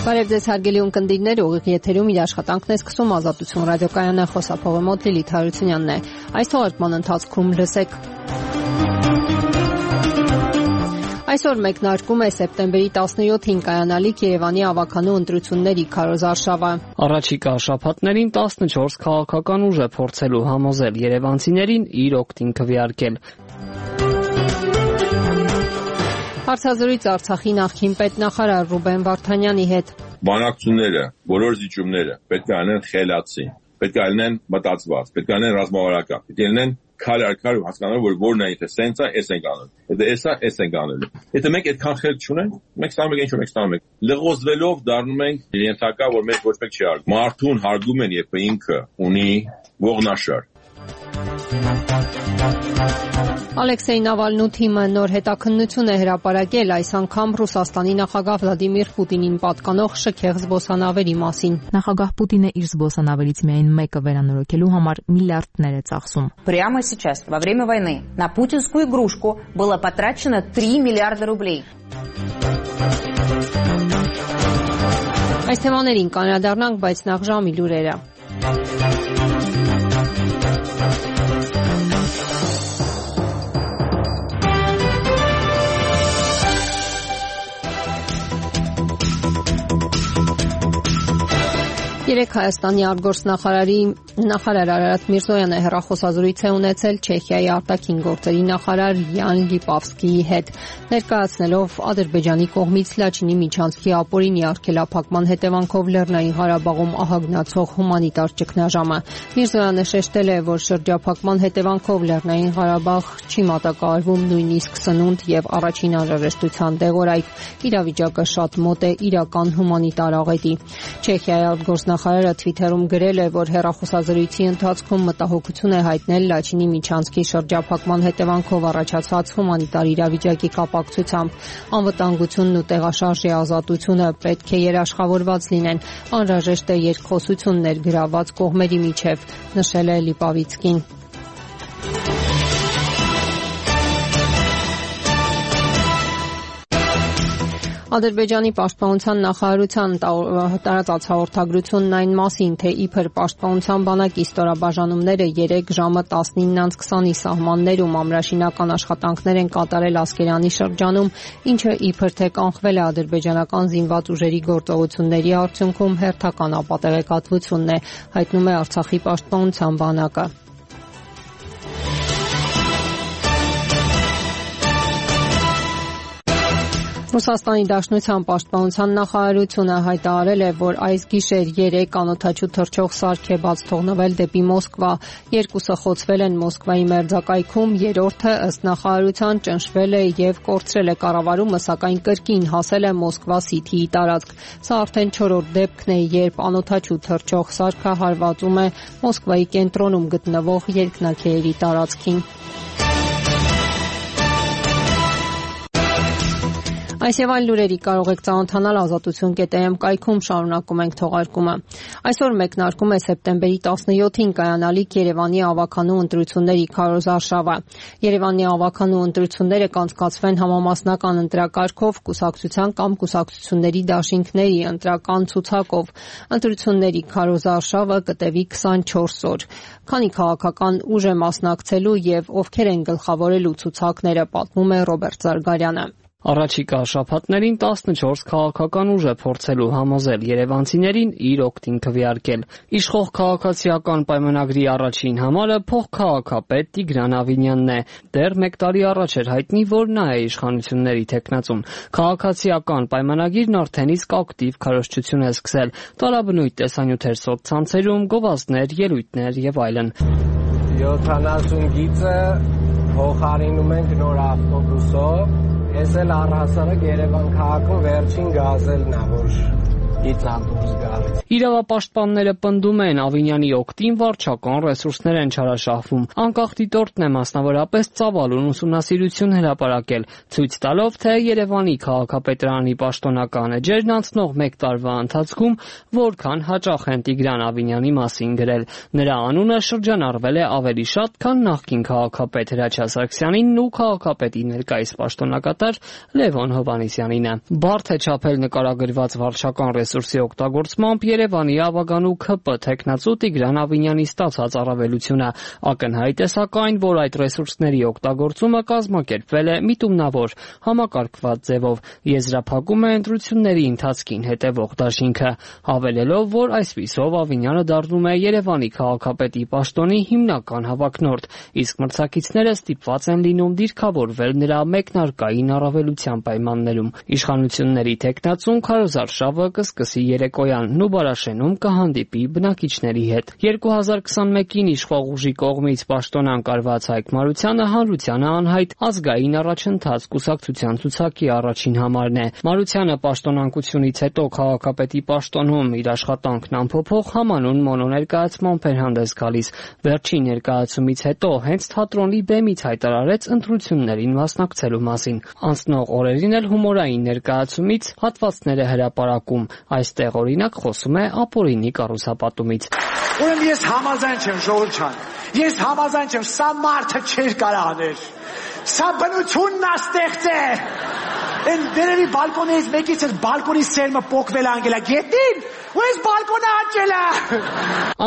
Բարև ձեզ հարգելի ունկնդիրներ, ուղիղ եթերում իր աշխատանքն է սկսում Ազատություն ռադիոկայանը, խոսափողը մոտ Լիլիթ Հարությունյանն է։ Այս թողարկման ընթացքում լսեք. Այսօր մեկնարկում է սեպտեմբերի 17-ին կայանալիք Երևանի ավականու ընտրությունների քարոզարշավը։ Առաջիկա շաբաթներին 14 քաղաքական ուժ է փորձելու համոզել երևանցիներին իր օգտին քվեարկել։ Հարցազրույց Արցախի նախկին պետնախարար Ռուբեն Վարդանյանի հետ։ Բանակցությունները, բոլոր զիջումները պետք է անեն խելացի, պետք է անեն մտածված, պետք է անեն ռազմավարական, պետք է անեն քար առ քար հասկանալու, որ որն է, եթե սենց է, էս ենք անում, եթե էս ենք անելու։ Եթե մենք այդքան խելք չունենք, մենք ստանում ենք ինչ որ մենք ստանում ենք։ Լղոզվելով դառնում ենք ենթակա, որ մենք ոչ մեկ չի արգում։ Մարդուն հարգում են, երբ ինքը ունի ողնաշար։ Ալեքսեյ Նավալնու թիմը նոր հետաքննություն է հրապարակել այս անգամ Ռուսաստանի նախագահ Վլադիմիր Պուտինին պատկանող շքեղ զբոսանավերի մասին։ Նախագահ Պուտինը իր զբոսանավերից միայն մեկը վերանորոգելու համար միլիարդներ է ծախսում։ Прямо сейчас, во время войны, на путинскую игрушку было потрачено 3 миллиарда рублей. Այս թեմաներին կանրադառնանք, բայց նախ ժամի լուրերը։ Երեկ Հայաստանի արտգործնախարար Արարատ Միրզոյանը հեռախոսազրույց է ունեցել Չեխիայի արտաքին գործերի նախարար Յան Լիպավսկիի հետ, ներկայացնելով Ադրբեջանի կողմից Լաչինի միջանցքի ապօրինի արգելափակման հետևանքով Լեռնային Ղարաբաղում ահագնացող հումանիտար ճգնաժամը։ Միրզոյանը շեշտել է, որ շրջափակման հետևանքով Լեռնային Ղարաբաղ չի մատակարարվում նույնիսկ սնունդ եւ առաջին անհրաժեշտության դեղորայք։ Իրավիճակը շատ մոտ է իրական հումանիտար աղետի։ Չեխիայի արտգործնախարարը Twitter-ում գրել է, որ հեռախոսազրույցի ընթացքում մտահոգություն է հայտնել Լաչինի միջանցքի շրջափակման հետևանքով առաջացած հումանիտար իրավիճակի կապակցությամբ։ Անվտանգությունն ու տեղաշարժի ազատությունը պետք է երաշխավորված լինեն։ Անհրաժեշտ է երկխոսություն ներգրավված կողմերի միջև, նշել է Լիպավիցկին։ Ադրբեջանի պաշտպանության նախարարության տարածած հաղորդագրությունն այն մասին, թե իբր պաշտպանության բանակի ստորաբաժանումները 3 ժամը 19:20-ի սահմաններում ամրաշինական աշխատանքներ են կատարել Ասկերանի շրջանում, ինչը իբր թե կանխվել է ադրբեջանական զինված ուժերի գործողությունների արդյունքում հերթական ապատեղեկատվությունն է, հայտնում է Արցախի պաշտպանության բանակը։ Ռուսաստանի Դաշնության պաշտպանության նախարարությունը հայտարարել է, որ այս գիշեր 3 անօդաչու թռչող սարք է բաց թողնվել դեպի Մոսկվա։ 2-ը խոցվել են Մոսկվայի մերձակայքում, 3-ը ըստ նախարարության ճնշվել է եւ կորցրել է կառավարումը, սակայն կրկին հասել է Մոսկվա Սիթիի տարածք։ Սա արդեն 4-րդ դեպքն է, երբ անօդաչու թռչող սարքը հարվածում է Մոսկվայի կենտրոնում գտնվող երկնաքերերի տարածքին։ Այս եւ այլ լուրերի կարող եք ծանոթանալ ազատություն.am կայքում, շարունակում ենք թողարկումը։ Այսօր մեկնարկում է սեպտեմբերի 17-ին կայանալիք Երևանի ավականու ընտրությունների քարոզարշավը։ Երևանի ավականու ընտրությունները կանցկացվեն համամասնական ընտրակարգով, կուսակցության կամ կուսակցությունների դաշինքների ընտրական ցուցակով։ Ընտրությունների քարոզարշավը կտևի 24 օր։ Քանի քաղաքական ուժ է մասնակցելու եւ ովքեր են գլխավորելու ցուցակները, պատմում է Ռոբերտ Զարգարյանը։ Առաջիկա շաբաթներին 14 քաղաքական ուժ է փորձելու համոզել երևանցիներին իր օգտին քվեարկել։ Իշխող քաղաքացիական պայմանագրի առաջին համարը փոխքաղաքապետ Տիգրան Ավինյանն է։ Դեռ 1 տարի առաջ էր հայտնի, որ նա է իշխանությունների թեկնածուն։ Քաղաքացիական պայմանագիրն արդեն իսկ ակտիվ քարոզչություն է սկսել։ Տարաբնույթ տեսանյութեր սոցցանցերում, գովազդներ, ելույթներ եւ այլն։ 70 գիծը փոխարինում ենք նոր ավտոբուսով։ Ես էլ առհասարակ Երևան քաղաքում վերջին գազելն է, որ գիծան դուրս գալ։ Իրավապաշտպանները պնդում են Ավինյանի օգտին վարչական ռեսուրսներ են չարաշահվում։ Անկախ դիտորդն է մասնավորապես ծավալուն ուսումնասիրություն հրապարակել, ցույց տալով, թե Երևանի քաղաքապետարանի պաշտոնական էջերն անցնող 1 տարվա ընթացքում որքան հաճախ են Տիգրան Ավինյանի մասին գրել։ Նրա անունը շրջանառվել է ավելի շատ, քան նախկին քաղաքապետ Հրաչյա Սարգսյանինն ու քաղաքապետի ներկայիս պաշտոնակատար Լևոն Հովհաննիսյանինը։ Բարդ է չափել նկարագրված վարչական ռեսուրսի օգտագործմամբ Երևանի ավագանու ՔՊ թեկնածու Տիգրան Ավինյանի ստացած առավելությունը ակնհայտ է սակայն, որ այդ ռեսուրսների օգտագործումը կազմակերպվել է միտումնավոր, համակարգված ձևով, եզրափակում է ընտրությունների ընթացքին հետևող դաշինքը, հավելելով, որ այսպիսով Ավինյանը դառնում է Երևանի քաղաքապետի պաշտոնի հիմնական հավակնորդ, իսկ մրցակիցները ստիպված են լինում դիրքավորվել նրա մեկնարկային առավելության պայմաններում։ Իշխանությունների թեկնածուն Քարոզ Արշավը կսկսի երեկոյան Նուբարաշենում կհանդիպի բնակիչների հետ։ 2021-ին իշխող ուժի կողմից պաշտոնանկարված Հայկ Մարությանը հանրությանը անհայտ ազգային առաջընթաց կուսակցության ցուցակի առաջին համարն է։ Մարությանը պաշտոնանկությունից հետո քաղաքապետի պաշտոնում իր աշխատանքն ամփոփող համանուն մոնոներկայացմամբ էր հանդես գալիս։ Վերջին ներկայացումից հետո հենց թատրոնի բեմից հայտարարեց ընտրություններին մասնակցելու մասին։ Անցնող օրերին էլ հումորային ներկայացումից հատվածներ է հրապարակում։ Այստեղ օրինակ խոսում է ապօրինի կառուցապատումից։ Ուրեմն ես համաձայն չեմ ժողովուրդ ջան։ Ես համաձայն չեմ, սա մարդը չէր կարող անել։ Սա բնությունն է ստեղծել։ Են դերևի բալկոնից մեկից էր բալկոնի սերմը պոկվել անգելա գետին, ու ես բալկոնը աճել է։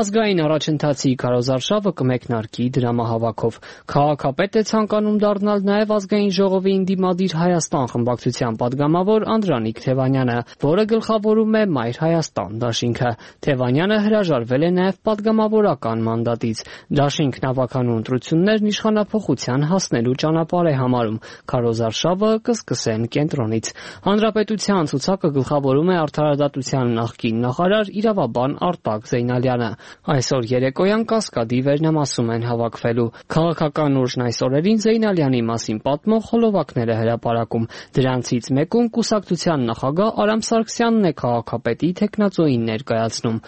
Ազգային առաջընթացի Քարոզ Արշավը կմեկնարկի դրամահավաքով։ Քաղաքապետ է ցանկանում դառնալ նաև ազգային ժողովի Ինդիմադիր Հայաստան խմբակցության падգամավոր Անդրանիկ Թևանյանը, որը գլխավորում է Մայր Հայաստան դաշինքը։ Թևանյանը հրաժարվել է նաև падգամավորական մանդատից։ Դաշինքն ավականու ընտրություններն իշխանափոխության հասնելու ճանապարհ է համարում։ Քարոզ Արշավը կսկսեն կենտրոնից։ Հանրապետության ցուցակը գլխավորում է Արդարադատության նախկին նախարար իրավաբան Արտակ Զեյնալյանը։ Այսօր երեկոյան Կասկադի վերնամասում են հավաքվելու։ Քաղաքական ուժն այս օրերին Զեյնալյանի մասին պատմող հոլովակներ է հրապարակում։ Դրանցից մեկում կուսակցության նախագահ Արամ Սարգսյանն է քաղաքապետի թեկնածուին ներկայացնում։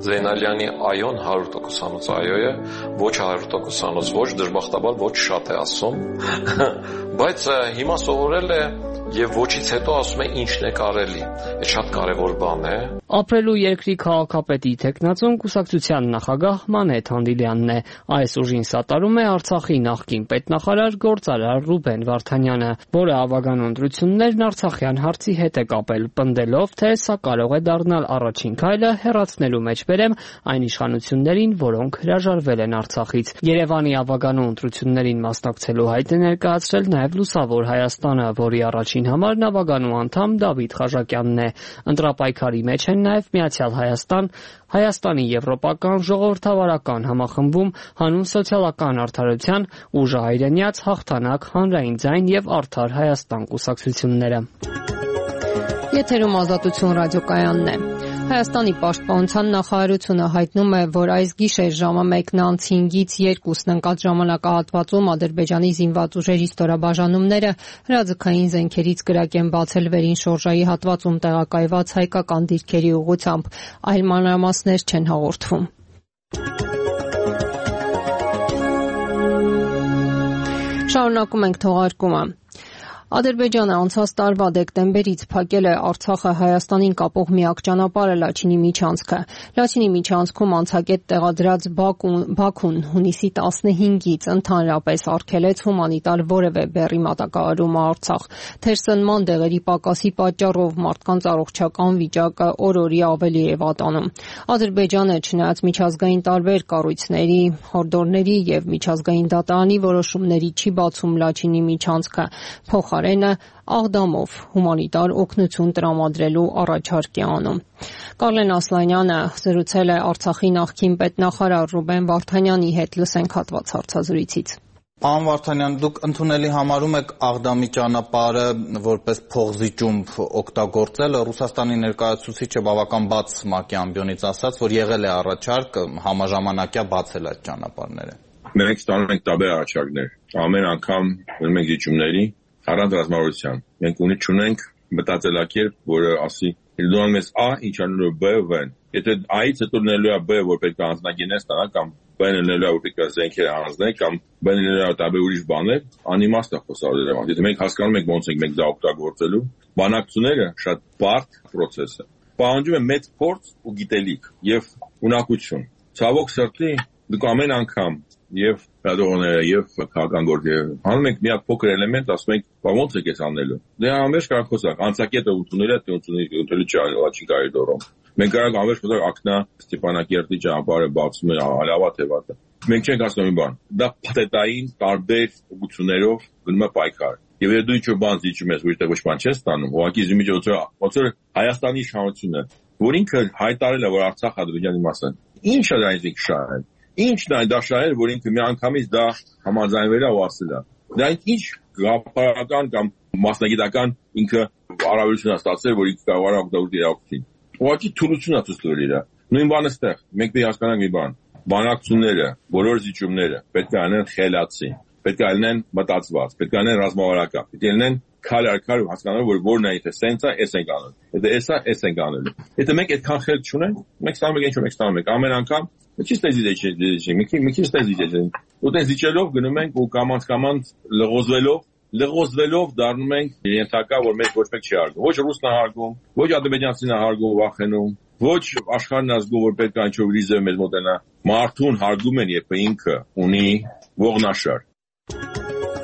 Զեյնալյանի այոն 100%-անոց այո է, ոչ 100%-անոց ոչ, դժբախտաբար ոչ շատ է ասում, բայց հիմա սովորել է եւ ոչից հետո ասում է ինչն է կարելի։ Այդ շատ կարեւոր բան է։ Ապրելու երկրի քաղաքապետի թեկնածուն կուսակցության նախագահ Մանեթ Հանդիլյանն է։ Այս ուժին սատարում է Արցախի նախկին պետնախարար գործարար Ռուբեն Վարդանյանը, որը ավագանու ընտրություններն արցախյան հարցի հետ է կապել, պնդելով, թե սա կարող է դառնալ առաջին քայլը հեռացնելու մեջ բերեմ այն իշխանություններին, որոնք հրաժարվել են Արցախից։ Երևանի ավագանու ընտրություններին մասնակցելու հայտ է ներկայացրել նաև Լուսավոր Հայաստանը, որի առաջին համար ավագանու անդամ Դավիթ Խաչակյանն է։ Ընտրապայքարի մեջ են նաև Միացյալ Հայաստան, Հայաստանի Եվրոպական ժողովրդավարական համախմբում, Հանուն սոցիալական արդարության, Ուժը հայրենյաց, Հաղթանակ, Հանրային ձայն եւ Արդար Հայաստան կուսակցությունները։ Եթերում Ազատություն ռադիոկայանն է։ Հայաստանի պաշտպանության նախարարությունը հայտնում է, որ այս գիշեր ժամը 1:05-ից 2-ն ընկած ժամանակահատվածում Ադրբեջանի զինված ուժերի ստորաբաժանումները հրաձգային զենքերից կրակ են բացել վերին շորժայի հատվածում տեղակայված հայկական դիրքերի ուղղությամբ, այլ մանրամասներ չեն հաղորդվում։ Շարունակում ենք թողարկումը։ Ադրբեջանը անցած տարվա դեկտեմբերից փակել է Արցախը Հայաստանին կապող միակ ճանապարհը Լաչինի միջանցքը։ Լաչինի միջանցքում անցակետ տեղադրած Բաքուն հունիսի 15-ից ընդհանրապես արգելեց հումանիտար որևէ բեռի մատակարարումը Արցախ։ Թերսնման դեղերի պակասի պատճառով մարդկանց առողջական վիճակը օր-օրի ավելի է վատանում։ Ադրբեջանը, չնայած միջազգային տարբեր կառույցների, հորդորների եւ միջազգային դատարանի որոշումների չի բացում Լաչինի միջանցքը, աղդամով հումանիտար օգնություն տրամադրելու առաջարկ է անում։ Կարլեն Ասլանյանը զրուցել է Արցախի նախկին պետնախարար Ռուբեն Վարդանյանի հետ, լսենք հատված հարցազրույցից։ Պարոն Վարդանյան, դուք ընդունելի համարում եք Աղդամի ճանապարհը որպես փողզիջում օգտագործելը։ Ռուսաստանի ներկայացուցիչը բավական բաց ՄԱԿ-ի ամբիոնից ասաց, որ եղել է առաջարկ համաժամանակյա բացել այդ ճանապարհները։ Մենք ստանում ենք տարբեր առաջարկներ։ Ամեն անգամ մնում ենք զիջումների առանց ռազմավարության։ Մենք ունենք մտածելակերպ, որը ասի դու անում ես A, ինչ անում ես B, V-ն։ Եթե A-ից հետո լինելու է B, որ պետք է անձնագինես տանա, կամ B-ն լինելու է, որ պետք է զենքեր հանձնել, կամ B-ն լինելու է տարբեր ուրիշ բաներ, անիմաստ է խոսալու։ Եթե մենք հասկանում ենք ոնց ենք մենք դա օգտագործելու, բանակցությունները շատ բարդ process է։ Պահանջում է մեծ փորձ ու գիտելիք եւ ունակություն։ Ցավոք սրտի դուք ամեն անգամ եւ լրատվողները եւ քաղաքական գործերը անում ենք մի հատ փոքր էլեմենտ, ասում ենք, ո՞նց է քեզ անելու։ Դե ամենից կարող խոսակ, անցակետը ուտունել է, ուտելու չի կարելի դորում։ Մենք կարող ամենից խոսակ ակնա Ստեփանակերտի ճանապարհը բացում է հալավա թե վատը։ Մենք չենք ասում մի բան։ Դա փաթեթային տարբեր ուղղություններով գնում է պայքար։ Եվ եթե դու ինչ-որ բան զիջում ես, որ ոչ բան չես ստանում, ուղղակի զիմիջոցը ոնց որ Հայաստանի իշխանությունը, որ ինքը հայտարարել է, որ Արցախ Ադրբեջանի մաս է։ Ինչ է դա ինքը շահել։ Ինչն է դա շահել, որ ինքը միանգամից դա համաձայնվել է ու ասել է։ Դա ինչ գաղափարական կամ մասնագիտական ինքը առավելություն է ստացել, որ ինքը կարող է օգտագործել իրավունքին։ Ուղղակի թուլություն է ցույց տվել իր։ Նույն բանը ստեղ։ Մենք պետք է հասկանանք մի բան։ Բանակցությունները, բոլոր զիջումները պետք է անեն խելացի, պետք է լինեն մտածված, պետք է լինեն ռազմավարական, պետք է լինեն քար առ քար հասկանալու, որ որն է եթե սենս է, էս ենք անում։ Եթե էս է, էս ենք անելու։ Եթե մենք այդքան խելք չունենք, մենք ստանում ենք ինչ-որ մենք ստանում ենք։ Ամեն անգամ մի քիչ տեզի մի քիչ տեզի։ Ու տեզիչելով գնում ենք ու կամանց լղոզվելով դառնում ենք ենթակա, որ մեզ ոչ մեկ չի հարգում։ Ոչ ռուսն է հարգում, ոչ ադրբեջանցին է հարգում, վախենում, ոչ աշխարհն ազգում, որ պետք է ինչ-որ ռիզը մեզ մոտենա։ Մարդուն հարգում են, երբ ինքը ունի ողնաշար։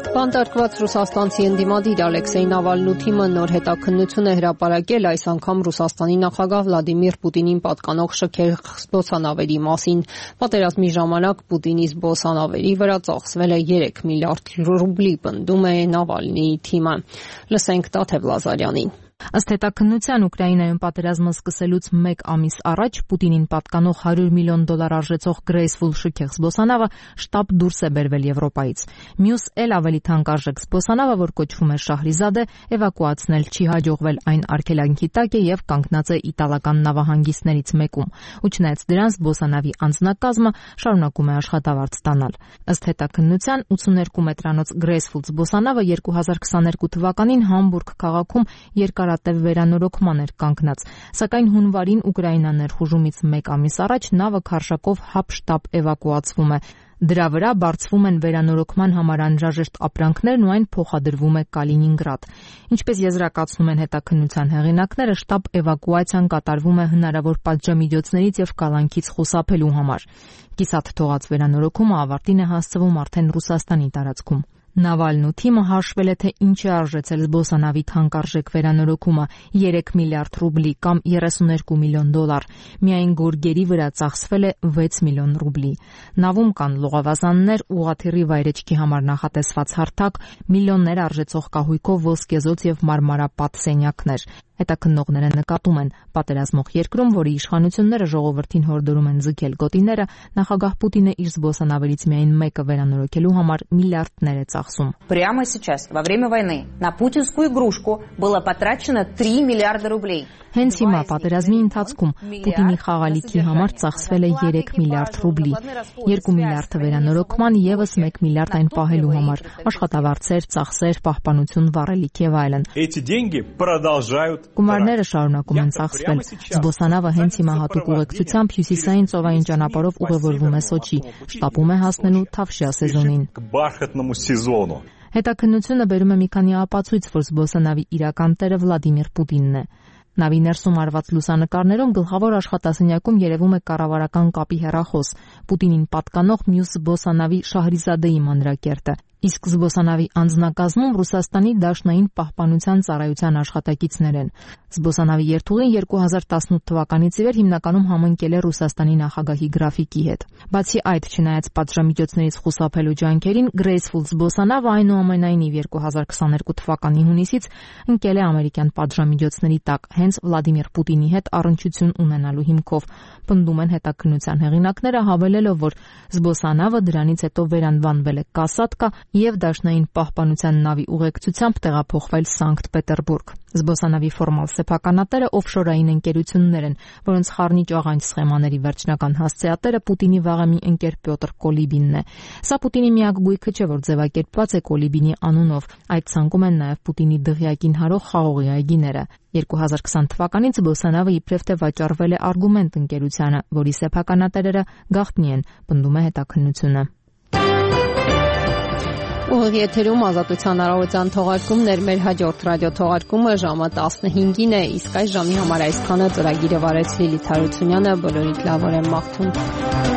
Բանտարկված ռուսաստանցի ընդդիմադիր Ալեքսեյ Նավալնու թիմը նոր հետաքննություն է հրապարակել այս անգամ Ռուսաստանի նախագահ Վլադիմիր Պուտինին պատկանող շքեղ զբոսանավերի մասին։ Պատերազմի ժամանակ Պուտինի զբոսանավերի վրա ծախսվել է 3 միլիարդ ռուբլի, պնդում է Նավալնիի թիմը։ Լսենք Տաթև Լազարյանին։ Ըստ հետաքննության Ուկրաինայում պատերազմը սկսելուց 1 ամիս առաջ Պուտինին պատկանող $100 միլիոն արժեցող Graceful շքեղ զբոսանավը շտապ դուրս է բերվել Եվրոպայից։ Մյուս էլ ավելի թանկարժեք զբոսանավը, որ կոչվում է Շահրիզադե, էվակուացնել չի հաջողվել, այն արգելանքի տակ է եւ կանգնած է իտալական նավահանգիստներից մեկում։ Ու չնայած դրան զբոսանավի անձնակազմը շարունակում է աշխատավարձ ստանալ։ Ըստ հետաքննության 82 մետրանոց Graceful զբոսանավը 2022 թվականին Համբուրգ քաղաքում երկարատև վերանորոգման էր կանգնած, սակայն հունվարին Ուկրաինա ներխուժումից 1 ամիս առաջ նավը քարշակով հապշտապ էվակուացվում է։ Դրա վրա բարձվում են վերանորոգման համար անհրաժեշտ ապրանքներն ու այն փոխադրվում է Կալինինգրադ։ Ինչպես եզրակացնում են հետաքննության հեղինակները, շտապ էվակուացիան կատարվում է հնարավոր պատժամիջոցներից եւ կալանքից խուսափելու համար։ Կիսատ թողած վերանորոգումը ավարտին է հասցվում արդեն Ռուսաստանի տարածքում։ Նավալնու թիմը հաշվել է, թե ինչ է արժեցել զբոսանավի թանկարժեք վերանորոգումը՝ 3 միլիարդ ռուբլի կամ $32 միլիոն։ Միայն գորգերի վրա ծախսվել է 6 միլիոն ռուբլի։ Նավում կան լողավազաններ, ուղղաթիռի վայրեջքի համար նախատեսված հարթակ, միլիոններ արժեցող կահույքով ոսկեզոծ եւ մարմարապատ սենյակներ։ Հետաքննողները նկատում են, պատերազմող երկրում, որի իշխանությունները ժողովրդին հորդորում են ձգել գոտիները, նախագահ Պուտինը իր զբոսանավերից միայն մեկը վերանորոգելու համար միլիարդներ է ծախսում։ Прямо сейчас, во время войны, на путинскую игрушку было потрачено 3 миллиарда рублей. Հենց հիմա պատերազմի ընթացքում Պուտինի խաղալիքի համար ծախսվել է 3 միլիարդ ռուբլի, 2 միլիարդը վերանորոգման, եւս 1 միլիարդ այն պահելու համար, աշխատավարձեր, ծախսեր, պահպանություն, վառելիք եւ այլն։ Գումարները շարունակում են ծախսվել։ Զբոսանավը հենց հիմա հատուկ ուղեկցությամբ հյուսիսային ծովային ճանապարհով ուղևորվում է Սոչի, շտապում է հասնելու Թավշյա սեզոնին։ Հետաքննությունը բերում է մի քանի ապացույց, որ զբոսանավի իրական տերը Վլադիմիր Պուտինն է։ Նավի ներսում արված լուսանկարներում գլխավոր աշխատասենյակում երևում է կառավարական կապի հեռախոս, Պուտինին պատկանող մյուս զբոսանավի Շահրիզադեի մանրակերտը։ Իսկ զբոսանավի անձնակազմում Ռուսաստանի Դաշնային պահպանության ծառայության աշխատակիցներ են։ Զբոսանավի երթուղին 2018 թվականից ի վեր հիմնականում համընկել է Ռուսաստանի նախագահի գրաֆիկի հետ։ Բացի այդ, չնայած պատժամիջոցներից խուսափելու ջանքերին, Graceful զբոսանավը այնուամենայնիվ 2022 թվականի հունիսից ընկել է ամերիկյան պատժամիջոցների տակ, հենց Վլադիմիր Պուտինի հետ առնչություն ունենալու հիմքով, պնդում են հետաքննության հեղինակները, հավելելով, որ զբոսանավը դրանից հետո վերանվանվել է Կասատկա եւ Դաշնային պահպանության նավի ուղեկցությամբ տեղափոխվել Սանկտ Պետերբուրգ։ Զբոսանավի ֆորմալ սեփականատերը օֆշորային ընկերություններ են, որոնց խառնիչ աղանջ սխեմաների վերջնական հասցեատերը Պուտինի վաղեմի ընկեր Պյոտր Կոլիբինն է։ Սա Պուտինի միակ գույքը չէ, որ ձևակերպված է Կոլիբինի անունով։ Այդ ցանկում են նաև Պուտինի դղյակին հարող խաղողի այգիները։ 2020 թվականից զբոսանավը իբրև թե վաճառվել է Արգումենտ ընկերությանը, որի սեփականատերերը գաղտնի են, պնդում է հետաքննությունը։ Ուղիղ եթերում Ազատության արարողության թողարկումներ, մեր հաջորդ ռադիոթողարկումը ժամը 15-ին է, իսկ այս ժամի համար այսքանը ծրագիրը վարեց Լիլիթ Հարությունյանը, բոլորիդ լավ օրը մաղթում։